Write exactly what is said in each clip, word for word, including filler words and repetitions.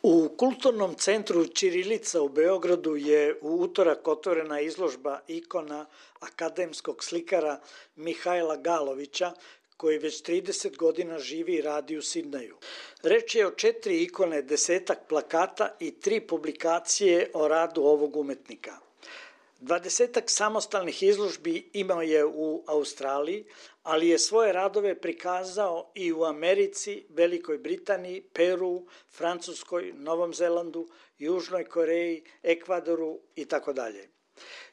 U Kulturnom centru Ćirilica u Beogradu je u utorak otvorena izložba ikona akademskog slikara Mihajla Galovića, koji već trideset godina živi i radi u Sidneju. Reč je o četiri ikone, desetak plakata i tri publikacije o radu ovog umetnika. Dvadesetak samostalnih izložbi imao je u Australiji, ali je svoje radove prikazao i u Americi, Velikoj Britaniji, Peru, Francuskoj, Novom Zelandu, Južnoj Koreji, Ekvadoru i tako dalje.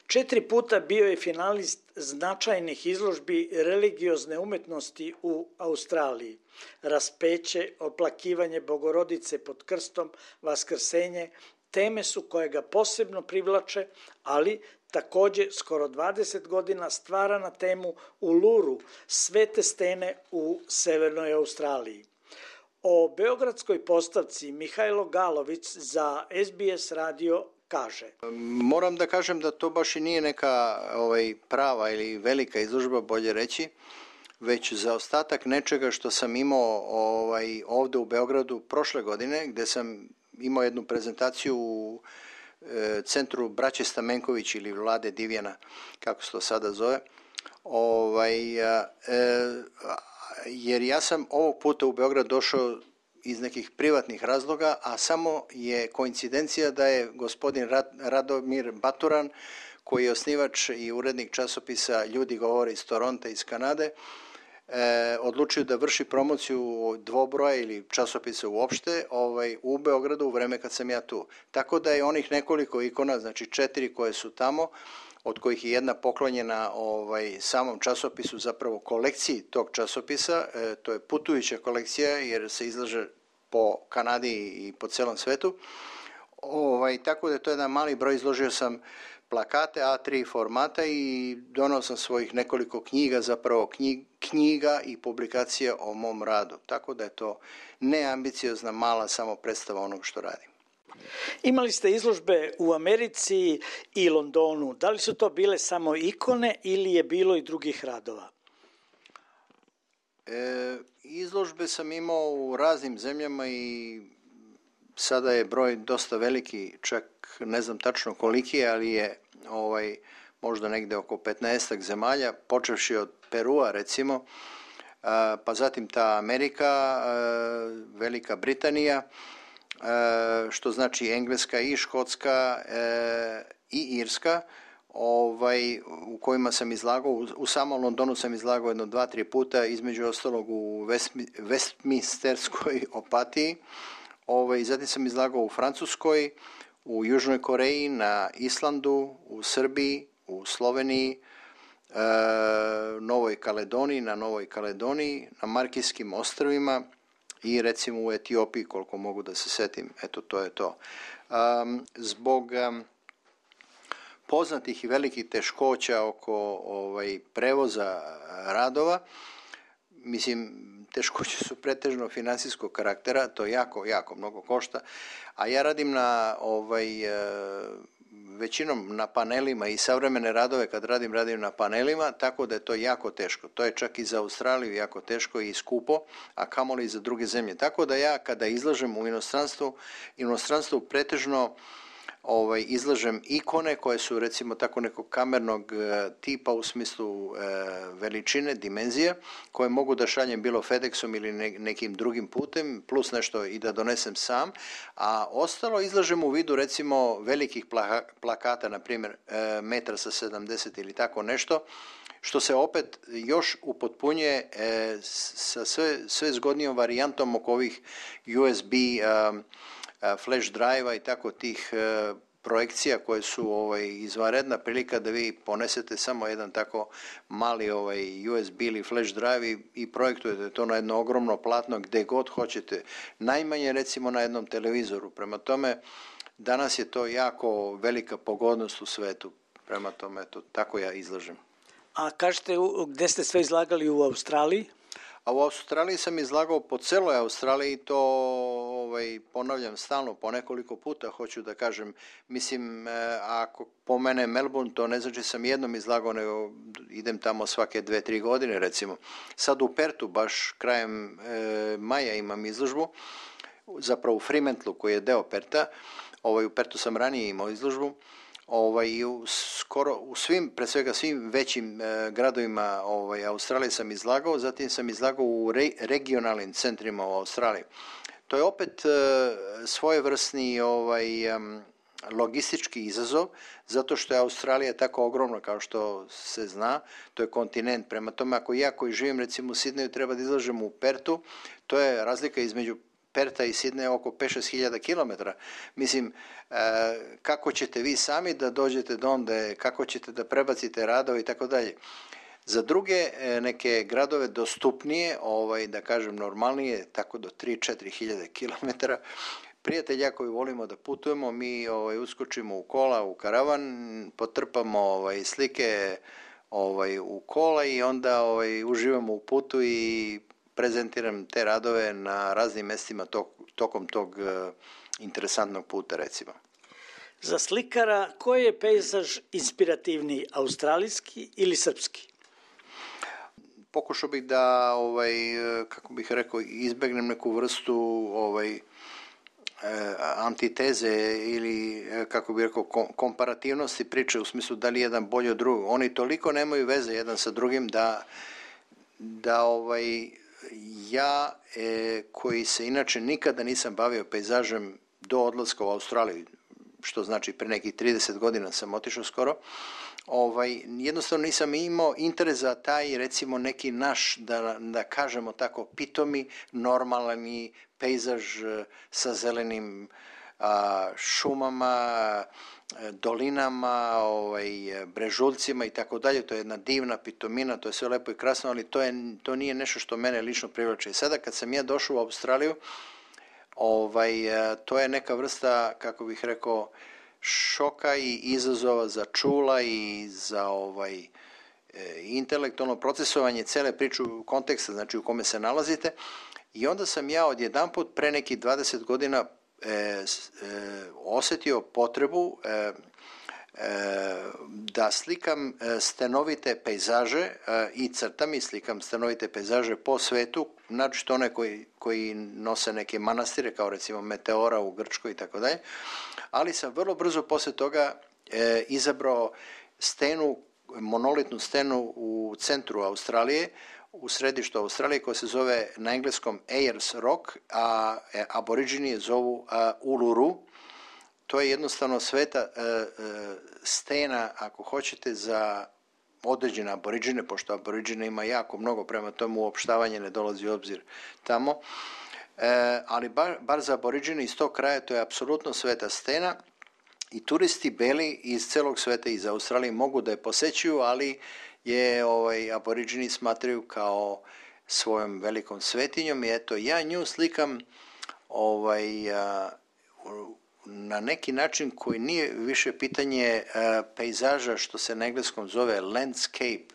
Četiri puta bio je finalist značajnih izložbi religiozne umetnosti u Australiji. Raspeće, oplakivanje Bogorodice pod krstom, vaskrsenje, teme su koje ga posebno privlače, ali takođe skoro dvadeset godina stvara na temu Uluru, svete stene u Severnoj Australiji. O beogradskoj postavci Mihajlo Galović za S B S radio kaže. Moram da kažem da to baš i nije neka ovaj, prava ili velika izložba, bolje reći, već za ostatak nečega što sam imao ovaj, ovde u Beogradu prošle godine, gde sam imao jednu prezentaciju u e, centru Braće Stamenković ili Vlade Divjana, kako se to sada zove, ovaj, e, jer ja sam ovog puta u Beograd došao iz nekih privatnih razloga, a samo je koincidencija da je gospodin Radomir Baturan, koji je osnivač i urednik časopisa Ljudi govore iz Toronta, iz Kanade, E, odlučio da vrši promociju dvobroja ili časopisa uopšte ovaj, u Beogradu u vreme kad sam ja tu. Tako da je onih nekoliko ikona, znači četiri koje su tamo, od kojih je jedna poklonjena ovaj, samom časopisu, zapravo kolekciji tog časopisa, e, to je putujuća kolekcija jer se izlaže po Kanadi i po celom svetu. Ovaj, tako da je to jedan mali broj, izložio sam plakate A tri formata i donao sam svojih nekoliko knjiga, zapravo knjig, knjiga i publikacija o mom radu. Tako da je to neambiciozna, mala samo predstava onog što radim. Imali ste izložbe u Americi i Londonu. Da li su to bile samo ikone ili je bilo i drugih radova? E, izložbe sam imao u raznim zemljama i sada je broj dosta veliki, čak ne znam tačno koliki je, ali je ovaj, možda negde oko petnaestak zemalja, počevši od Perua recimo, pa zatim ta Amerika, Velika Britanija, što znači Engleska i Škotska i Irska, ovaj, u kojima sam izlagao, u samom Londonu sam izlagao jedno dva, tri puta, između ostalog u Westminsterskoj opatiji. Ovaj, zatim sam izlagao u Francuskoj, u Južnoj Koreji, na Islandu, u Srbiji, u Sloveniji, e, Novoj Kaledoniji, na Novoj Kaledoniji, na Markijskim ostrvima i recimo u Etiopiji, koliko mogu da se setim. Eto, to je to. Um, zbog um, poznatih i velikih teškoća oko ovaj, prevoza radova, mislim, teškoće su pretežno finansijskog karaktera, to jako, jako mnogo košta, a ja radim na, ovaj, većinom na panelima i savremene radove kad radim, radim na panelima, tako da je to jako teško. To je čak i za Australiju jako teško i skupo, a kamoli i za druge zemlje. Tako da ja kada izlažem u inostranstvu, inostranstvu pretežno Ovaj, izlažem ikone koje su recimo tako nekog kamernog e, tipa u smislu e, veličine, dimenzije, koje mogu da šaljem bilo FedExom ili ne, nekim drugim putem, plus nešto i da donesem sam, a ostalo izlažem u vidu recimo velikih plaka, plakata, na primjer e, metra sa sedamdeset ili tako nešto, što se opet još upotpunjuje e, sa sve, sve zgodnijom varijantom oko ovih U S B e, flash drive-a i tako tih e, projekcija koje su ovaj, izvanredna prilika da vi ponesete samo jedan tako mali ovaj, U S B ili flash drive i, i projektujete to na jedno ogromno platno gde god hoćete, najmanje recimo na jednom televizoru. Prema tome, danas je to jako velika pogodnost u svetu. Prema tome, eto, tako ja izlažem. A kažete, gde ste sve izlagali u Australiji? A u Australiji sam izlagao po celoj Australiji, to ovaj, ponavljam stalno po nekoliko puta, hoću da kažem, mislim, e, ako pomene Melbourne, to ne znači sam jednom izlagao, nego idem tamo svake dve, tri godine recimo. Sad u Pertu, baš krajem e, maja imam izložbu, zapravo u Fremantlu koji je deo Perta, ovaj, u Pertu sam ranije imao izložbu, ovaj, u, skoro u svim, pre svega svim većim e, gradovima ovaj, Australije sam izlagao, zatim sam izlagao u re, regionalnim centrima u Australiji. To je opet e, svojevrsni ovaj, um, logistički izazov, zato što je Australija tako ogromna kao što se zna, to je kontinent, prema tome ako ja koji živim recimo u Sidneju treba da izlažem u Pertu, to je razlika između Perta i Sidneja oko pet do šest hiljada kilometara. Mislim, e, kako ćete vi sami da dođete do onda, kako ćete da prebacite radove i tako dalje. Za druge e, neke gradove dostupnije, ovaj, da kažem normalnije, tako do tri do četiri hiljade kilometara, prijatelja koji volimo da putujemo, mi ovaj, uskočimo u kola, u karavan, potrpamo ovaj, slike ovaj, u kola i onda ovaj, uživamo u putu i prezentiram te radove na raznim mestima tok, tokom tog uh, interesantnog puta, recimo. Za slikara, koji je pejzaž inspirativniji, australijski ili srpski? Pokušao bih da, ovaj, kako bih rekao, izbegnem neku vrstu ovaj, antiteze ili, kako bih rekao, komparativnosti priče u smislu da li jedan bolji od drugog. Oni toliko nemaju veze jedan sa drugim da, da ovaj, ja, e, koji se inače nikada nisam bavio pejzažem do odlaska u Australiju, što znači pre nekih trideset godina sam otišao skoro, ovaj, jednostavno nisam imao interes za taj, recimo, neki naš, da, da kažemo tako, pitomi, normalni pejzaž sa zelenim a, šumama, dolinama, ovaj, brežuljcima i tako dalje. To je jedna divna pitomina, to je sve lepo i krasno, ali to, je, to nije nešto što mene lično privlači. I sada kad sam ja došao u Australiju, ovaj, to je neka vrsta, kako bih rekao, šoka i izazova za čula i za ovaj, intelektualno procesovanje cele priče u konteksta, znači u kome se nalazite. I onda sam ja odjedanput pre nekih dvadeset godina E, e, osetio potrebu e, e, da slikam stenovite pejzaže e, i crtam i slikam stenovite pejzaže po svetu, znači što one koji, koji nose neke manastire kao recimo Meteora u Grčkoj i tako dalje, ali sam vrlo brzo posle toga e, izabrao stenu, monolitnu stenu u centru Australije, u središtu Australije, koja se zove na engleskom Ayers Rock, a aboriđini je zovu a, Uluru. To je jednostavno sveta a, a, stena, ako hoćete, za određene aboriđine, pošto aboriđine ima jako mnogo, prema tomu uopštavanje ne dolazi u obzir tamo. E, ali bar, bar za aboriđine iz tog kraja to je apsolutno sveta stena i turisti beli iz celog sveta, iz Australije, mogu da je posećuju, ali je ovaj, aboriđini smatraju kao svojom velikom svetinjom i eto, ja nju slikam ovaj, a, na neki način koji nije više pitanje a, pejzaža, što se na engleskom zove landscape.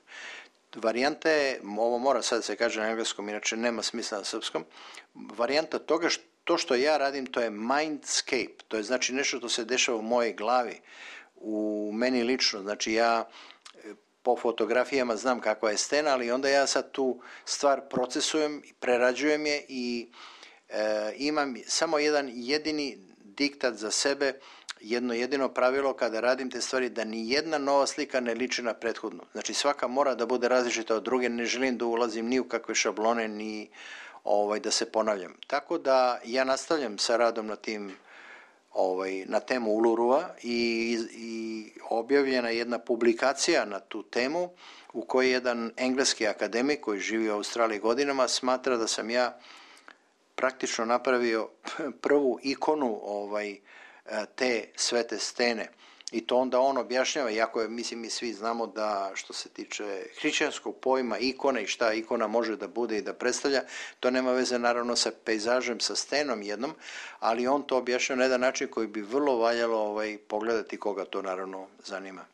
Varijanta je, ovo mora sad da se kaže na engleskom, inače nema smisla na srpskom, varijanta toga što to što ja radim, to je mindscape, to je znači nešto što se dešava u mojej glavi, u meni lično, znači ja po fotografijama znam kakva je stena, ali onda ja sad tu stvar procesujem, prerađujem je i e, imam samo jedan jedini diktat za sebe, jedno jedino pravilo kada radim te stvari, da ni jedna nova slika ne liči na prethodnu. Znači svaka mora da bude različita od druge, ne želim da ulazim ni u kakve šablone, ni ovaj, da se ponavljam. Tako da ja nastavljam sa radom na tim Ovaj, na temu Ulurua i, i objavljena jedna publikacija na tu temu u kojoj jedan engleski akademik koji živi u Australiji godinama smatra da sam ja praktično napravio prvu ikonu ovaj, te svete stene. I to onda on objašnjava, iako je, mislim, mi svi znamo da što se tiče hrišćanskog pojma ikone i šta ikona može da bude i da predstavlja, to nema veze naravno sa pejzažem, sa stenom jednom, ali on to objašnjava na jedan način koji bi vrlo valjalo ovaj, pogledati koga to naravno zanima.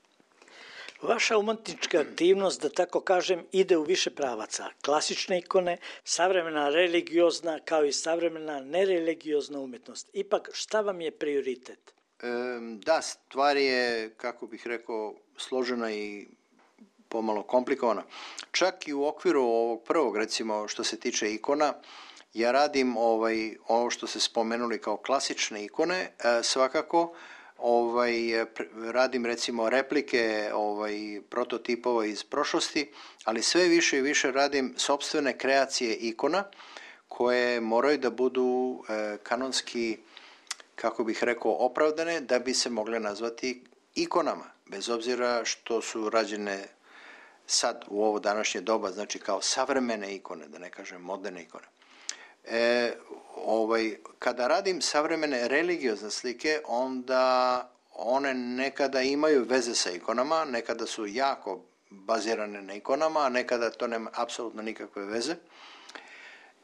Vaša umetnička aktivnost, da tako kažem, ide u više pravaca. Klasične ikone, savremena religiozna kao i savremena nereligiozna umetnost. Ipak, šta vam je prioritet? Da, stvar je, kako bih rekao, složena i pomalo komplikovana. Čak i u okviru ovog prvog, recimo, što se tiče ikona, Ja radim ovaj, ovo što ste spomenuli kao klasične ikone, e, svakako, ovaj, radim recimo replike ovaj, prototipova iz prošlosti, ali sve više i više radim sopstvene kreacije ikona koje moraju da budu e, kanonski, kako bih rekao, opravdane da bi se mogle nazvati ikonama, bez obzira što su rađene sad u ovo današnje doba, znači kao savremene ikone, da ne kažem moderne ikone. E, ovaj, kada radim savremene religiozne slike, onda one nekada imaju veze sa ikonama, nekada su jako bazirane na ikonama, a nekada to nema apsolutno nikakve veze.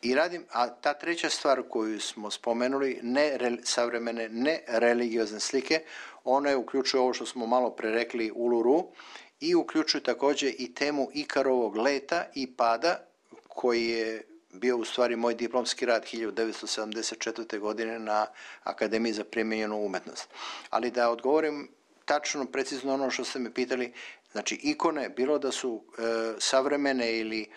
I radim, a ta treća stvar koju smo spomenuli, ne re, savremene, ne religiozne slike, one uključuju ovo što smo malo pre rekli Uluru i uključuju također i temu Ikarovog leta i pada, koji je bio u stvari moj diplomski rad hiljadu devetsto sedamdeset četvrte. godine na Akademiji za primijenjenu umetnost. Ali da odgovorim tačno, precizno ono što ste me pitali, znači ikone, bilo da su e, savremene ili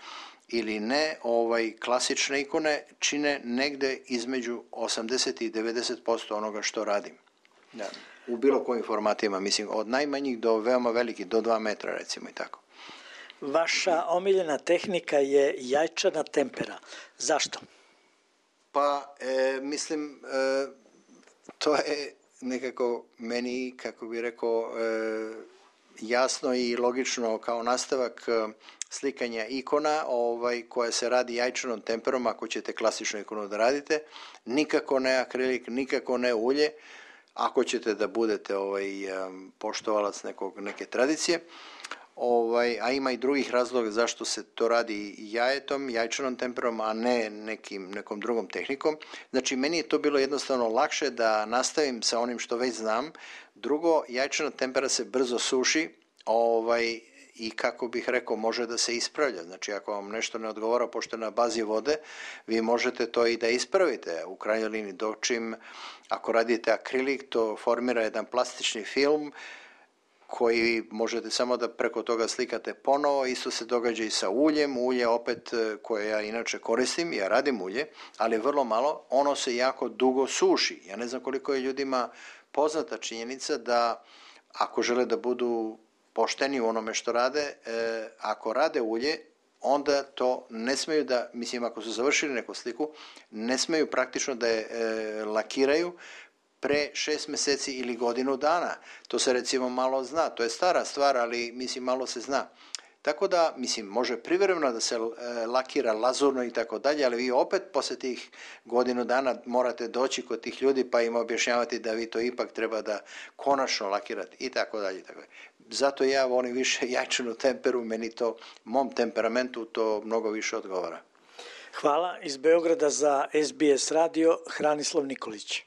ili ne, ovaj, klasične ikone čine negde između osamdeset i devedeset posto onoga što radim. Da. U bilo kojim formatima, mislim, od najmanjih do veoma velikih, do dva metra recimo i tako. Vaša omiljena tehnika je jajčana tempera. Zašto? Pa, e, mislim, e, to je nekako meni, kako bi rekao, e, jasno i logično kao nastavak e, slikanja ikona ovaj, koja se radi jajčanom temperom, ako ćete klasičnu ikonu da radite, nikako ne akrilik, nikako ne ulje, ako ćete da budete ovaj, poštovalac nekog, neke tradicije, ovaj, a ima i drugih razloga zašto se to radi jajetom, jajčanom temperom, a ne nekim, nekom drugom tehnikom. Znači, meni je to bilo jednostavno lakše da nastavim sa onim što već znam. Drugo, jajčana tempera se brzo suši, ovaj, i kako bih rekao, može da se ispravlja. Znači, ako vam nešto ne odgovara, pošto je na bazi vode, vi možete to i da ispravite. U krajnjoj liniji, dočim, ako radite akrilik, to formira jedan plastični film koji možete samo da preko toga slikate ponovo. Isto se događa i sa uljem. Ulje, opet, koje ja inače koristim, ja radim ulje, ali vrlo malo, ono se jako dugo suši. Ja ne znam koliko je ljudima poznata činjenica da ako žele da budu pošteni u onome što rade, e, ako rade ulje, onda to ne smeju da, mislim, ako su završili neku sliku, ne smeju praktično da je e, lakiraju pre šest meseci ili godinu dana. To se recimo malo zna, to je stara stvar, ali mislim malo se zna. Tako da, mislim, može privremeno da se e, lakira lazurno i tako dalje, ali vi opet posle tih godinu dana morate doći kod tih ljudi pa im objašnjavati da vi to ipak treba da konačno lakirate i tako dalje. Tako dalje. Zato ja volim više jajčanu temperu, meni to, mom temperamentu to mnogo više odgovara. Hvala. Iz Beograda za S B S radio, Hranislav Nikolić.